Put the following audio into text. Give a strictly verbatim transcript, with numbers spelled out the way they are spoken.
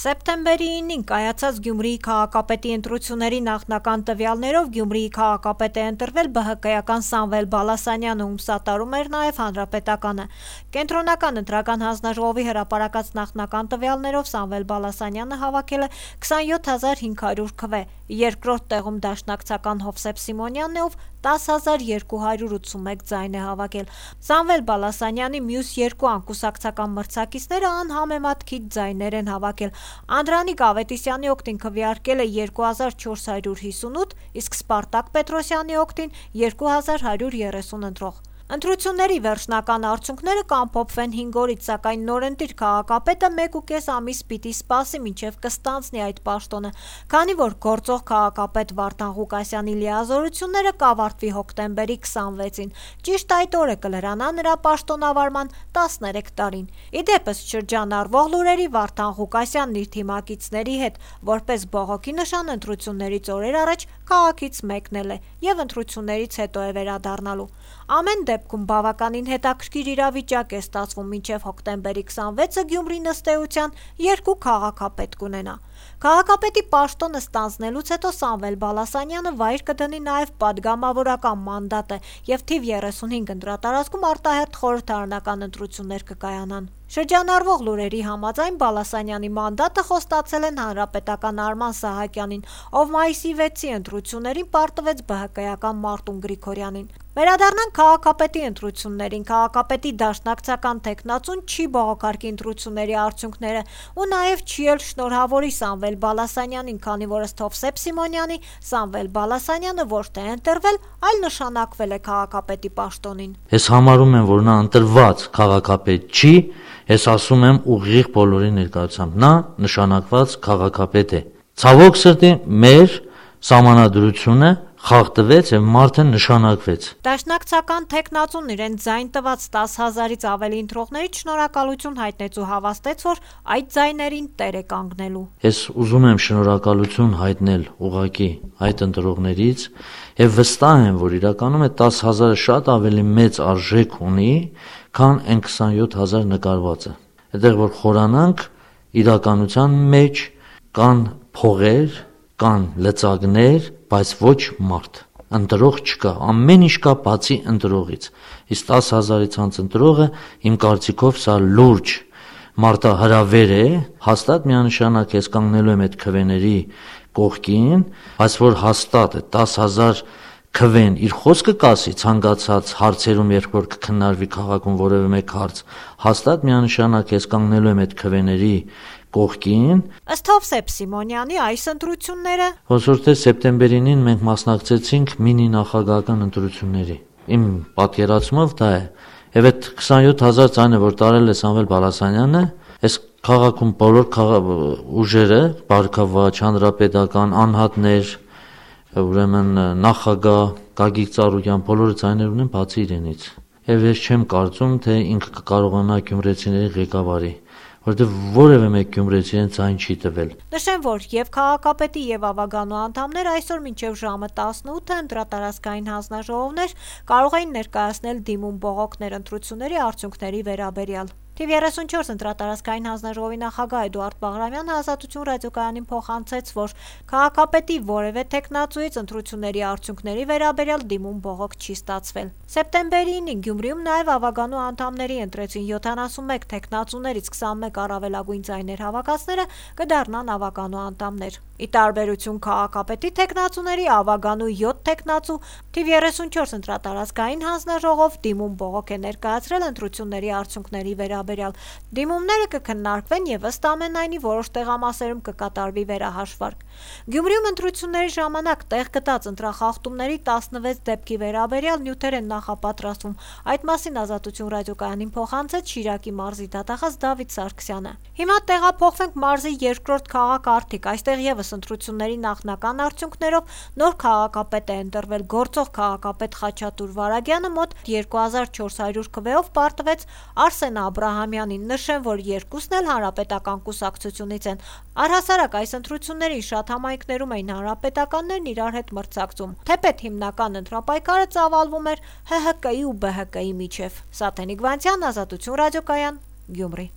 Սեպտեմբերի ինին կայացած Գյումրիի քաղաքապետի ընտրությունների նախնական տվյալներով Գյումրիի քաղաքապետ է ընտրվել ԲՀԿ-ական Սամվել Բալասանյանը, ում սատարում էր նաև Հանրապետականը։ Կենտրոնական ընտրական հանձնաժողովի հրապարակած նախնական տվյալներով Սամվել Բալասանյանը հավաքել է քսանյոթ հազար հինգ հարյուր քվե, երկրորդ տեղում դաշնակցական Հովսեփ Սիմոնյանն է, ով տաս հազար երկու հարյուր ութսունմեկ ձայն է հավաքել։ Սամվել Բալասանյանի մյուս երկու անկուսակցական մրցակիցները անհամեմատ քիչ ձայներ են հավաքել։ Անդրանիկ Ավետիսյանի օգտին քվեարկել է երկու հազար չորս հարյուր հիսունութ, իսկ Սպարտակ Պետրոսյանի օգտին երկու հազար հարյուր երեսուն ընտրող։ Ընտրությունների վերջնական արդյունքները կամփոփվեն հինգ օրից, սակայն նորընտիր քաղաքապետը մեկ ու կես ամիս պիտի սպասի, մինչև կստանձնի այդ պաշտոնը, քանի որ գործող քաղաքապետ Վարդան Ղուկասյանի լիազորությունները կավարտվի հոկտեմբերի քսանվեցին։ Ճիշտ այդ օրը կլրանա նրա պաշտոնավարման տասներեք տարին։ Ի դեպս շրջանառվող լուրերի Վարդան Ղուկասյանն իր թիմակիցների հետ որպես բողոքի նշան ընտրություններից օրեր առաջ քաղաքից մեկնել է եւ ընտրություններից հետո է վերադառնալու։ Ամեն դեպքում բավականին հետաքրքիր իրավիճակ է ստացվում, մինչև հոկտեմբերի քսանվեցը Գյումրին ըստ էության երկու քաղաքապետ կունենա։ Քաղաքապետի պաշտոնը ստանձնելուց հետո Սամվել Բալասանյանը վայր կդնի նաև պատգամավորական մանդատը եւ թիվ երեսունհինգ ընտրատարածքում արտահերթ խորհրդարանական ընտրություններ կկայանան։ Շրջանառվող լուրերի համաձայն Բալասանյանի մանդատը խոստացել են հանրապետական Արման Սահակյանին, ով մայիսի վեցի ընտրություններին պարտվեց ԲՀԿ-ական Մարտուն Գրիգորյանին։ Վերադառնանք քաղաքապետի ընտրություններին։ Քաղաքապետի դաշնակցական թեկնածուն չի բողոքարկի ընտրությունների արդյունքները ու նաև չի էլ շնորհավորի Սամվել Բալասանյանին, քանի որ ըստ Հովսեփ Սիմոնյանի Սամվել Բալասանյանը ոչ թե ընտրվել, այլ նշանակվել է քաղաքապետի պաշտոնին։ Ես համարում եմ, որ նա ընտրված քաղաքապետ չի, ես ասում եմ ուղիղ բոլորի ներկայությամբ, նա նշանակված քաղաքապետ է։ Ցավոք սրտի մեր սահմանադրությունը խախտվեց եւ մարդը նշանակվեց։ Դաշնակցական թեկնածուն իրեն ձայն տված տաս հազարից ավելի ընտրողներից շնորհակալություն հայտնեց ու հավաստեց, որ այդ ձայներին տեր է կանգնելու։ Ես ուզում եմ շնորհակալություն հայտնել ուղղակի այդ ընտրողներից եւ վստահ եմ, որ իրականում այդ տաս հազարը շատ ավելի մեծ արժեք ունի, քան այն քսանյոթ հազար նկարվածը։ Այդտեղ որ խորանանք, իրականության մեջ կան փողեր, կան լծակներ, բայց ոչ մարդ, ընտրող չկա, ամեն ինչ կա բացի ընտրողից։ Իսկ տաս հազարից անց ընտրողը իմ կարծիքով սա լուրջ մարտահրավեր է, հաստատ միանշանակ ես կանգնելու եմ այդ քվեների կողքին, բայց որ հաստատ է տաս հազար քվեն իր խոսքը կասի ցանկացած հարցերում, երբ որ կքննարկվի քաղաքում որևէ մեկ հարց, հաստատ միանշանակ ես կանգնելու եմ այդ քվեների կողքին։ Ըստ Հովսեփ Սիմոնյանի այս ընտրությունները ոսոր թե սեպտեմբերին մենք մասնակցեցինք մինի նախագահական ընտրությունների։ Իմ պատկերացումով դա է։ Եվ այդ քսանյոթ հազար ձայնը, որ տարել է Սամվել Բալասանյանը, այս քաղաքում բոլոր ուժերը, Բարգավաճ, հանրապետական, անհատներ, ուրեմն նախագահ Գագիկ Ծառուկյան, բոլորը ձայներ ունեն բացի իրենից։ Եվ ես չեմ կարծում, թե ինքը կկարողանա գյումրեցիների ղեկավարի, որովհետև որևէ մեկ գյումրեցի ձայն չի տվել։ Նշեմ, որ եւ քաղաքապետի եւ ավագանու անդամներ այսօր մինչեւ ժամը տասնութը ընտրատարածքային հանձնաժողովներ կարող էին ներկայացնել դիմում բողոքներ ընտրությունների արդյունքների վերաբերյալ։ Թիվ երեսունչորս ընտրատարածքային հանձնաժողովի նախագահ Էդուարդ Բաղրամյանը Ազատություն ռադիոկայանին փոխանցեց, որ քաղաքապետի որևէ թեկնածուից ընտրությունների արդյունքների վերաբերյալ դիմում բողոք չի ստացվել։ Սեպտեմբերի ինին Գյումրիում նաև ավագանու անդամների ընտրեցին յոթանասունմեկ թեկնածուներից քսանմեկ առավելագույն ձայներ հավաքածները կդառնան ավագանու անդամներ։ Ի տարբերություն քաղաքապետի թեկնածուների ավագանու յոթ թեկնածու թիվ երեսունչորս ընտրատարածքային հանձնաժողով դիմում բողոք է ներկայացրել ընտրությունների արդյունքների վերաբերյալ։ Դիմումները կքննարկվեն եւ ըստ ամենայնի որոշ տեղամասերում կկատարվի վերահաշվարկ։ Գյումրիում ընտրությունների ժամանակ տեղ գտած ընտրախախտումների տասնվեց դեպքի վերաբերյալ նյութեր են նախապատրաստվում։ Այդ մասին Ազատություն ռադիոկայանին փոխանցեց Շիրակի մարզի դատախազ Դավիթ Սարգսյանը։ Հիմա տեղափոխվենք մարզի երկրորդ քաղաքարտիկ։ Այստեղ եւս ընտրությունների նախնական արդյունքներով նոր քաղաքապետ է ընտրվել գործող քաղաքապետ Խաչատուր Վարագյանը մոտ երկու հազար չորս հարյուր քվեով պարտվեց Արսեն Աբրահամյանին։ Նշեմ, որ երկուսն էլ հանրապետական կուսակցությունից են։ Առհասարակ այս ընտրություններին շատ համայնքներում էին հանրապետականներն իրար հետ մրցակցում, թեպետ հիմնական ընտրապայքարը ծավալվում էր ՀՀԿ-ի ու ԲՀԿ-ի միջև։ Սաթենիկ Վանցյան, Ազատություն ռադիոկայան, Գյումրի։